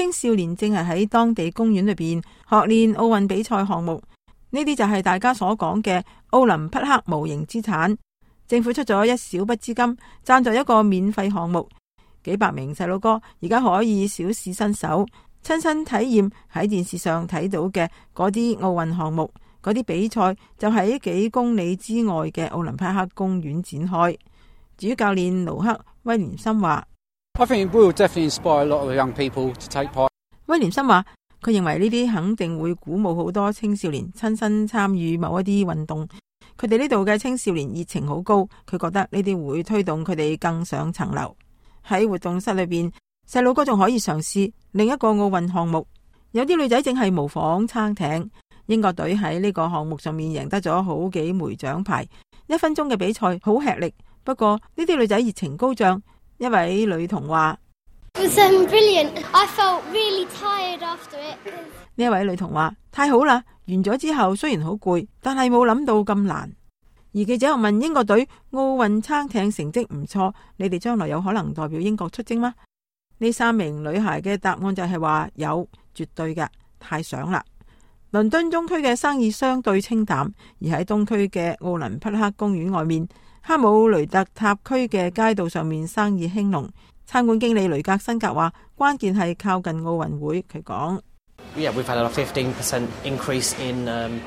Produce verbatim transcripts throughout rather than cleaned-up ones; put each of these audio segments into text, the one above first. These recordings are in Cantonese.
青少年正係喺當地公園裏邊學練奧運比賽項目。呢啲就係大家所講嘅奧林匹克無形資產。政府出咗一小筆資金，贊助一個免費項目，幾百名細路哥而家可以小試身手，親身體驗喺電視上睇到嘅嗰啲奧運項目。嗰啲比賽就喺幾公里之外嘅奧林匹克公園展開。主教練盧克威廉森話，I think it will definitely inspire a lot of young people to take part. 威廉森話，佢認為呢啲肯定會鼓舞好多青少年親身參與某一啲運動。佢哋呢度嘅青少年熱情好高，佢覺得呢啲會推動佢哋更上層樓。喺活動室裏邊，細路哥仲可以嘗試另一個奧運項目。有啲女仔正係模仿撐艇。英國隊喺呢個項目上面贏得咗好幾枚獎牌。一分鐘嘅比賽好吃力，不過呢啲女仔熱情高漲。一位女童話，呢一位女童話，太好啦！完咗之後雖然好攰，但係冇諗到咁難。而記者又問英國隊奧運撐艇成績唔錯，你哋將來有可能代表英國出征嗎？呢三名女孩嘅答案就係話有，絕對嘅，太想啦。倫敦中區嘅生意相對清淡，而喺東區嘅奧林匹克公園外面，哈姆雷特塔區嘅街道上面生意興隆。餐館經理雷格辛格話，關鍵係靠近奧運會。佢講， Yeah, we've had a fifteen percent increase in, um...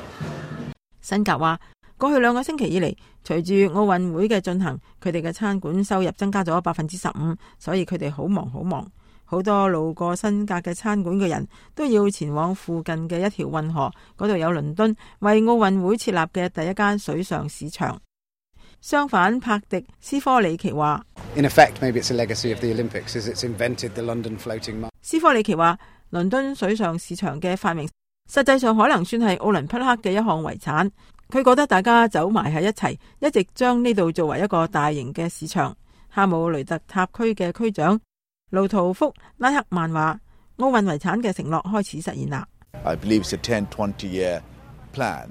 辛格話，過去兩個星期以嚟，隨住奧運會嘅進行，佢哋嘅餐館收入增加咗百分之十五，所以佢哋好忙好忙。好多路過辛格嘅餐館嘅人都要前往附近嘅一條運河，嗰度有倫敦為奧運會設立嘅第一間水上市場。相反，帕迪斯科里奇話， In effect, maybe it's a legacy of the Olympics, as it's invented the London floating market. 斯科里奇話，倫敦水上市場嘅發明，實際上可能算係奧林匹克嘅一項遺產。佢覺得大家走埋喺一齊，一直將呢度作為一個大型嘅市場。哈姆雷特塔區嘅區長路圖福拉克曼話，奧運遺產嘅承諾開始實現啦。I believe it's a ten, twenty year plan.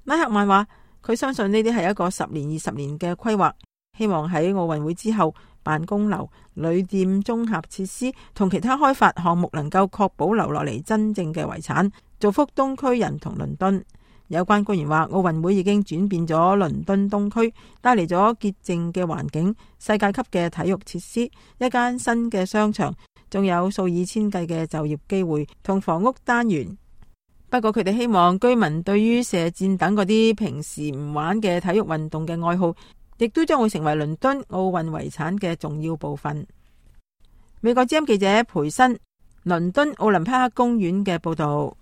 拉克曼話，佢相信呢啲係一個十年、二十年嘅規劃，希望喺奧運會之後，辦公樓、旅店、綜合設施同其他開發項目能夠確保留落嚟真正嘅遺產，造福東區人同倫敦。有關官員話，奧運會已經轉變咗倫敦東區，帶嚟咗潔淨嘅環境、世界級嘅體育設施、一間新嘅商場，仲有數以千計嘅就業機會同房屋單元。不過佢哋希望居民對於射箭等嗰啲平時唔玩嘅體育運動嘅愛好，亦都將會成為倫敦奧運遺產嘅重要部分。美國之音記者培新倫敦奧林匹克公園嘅報道。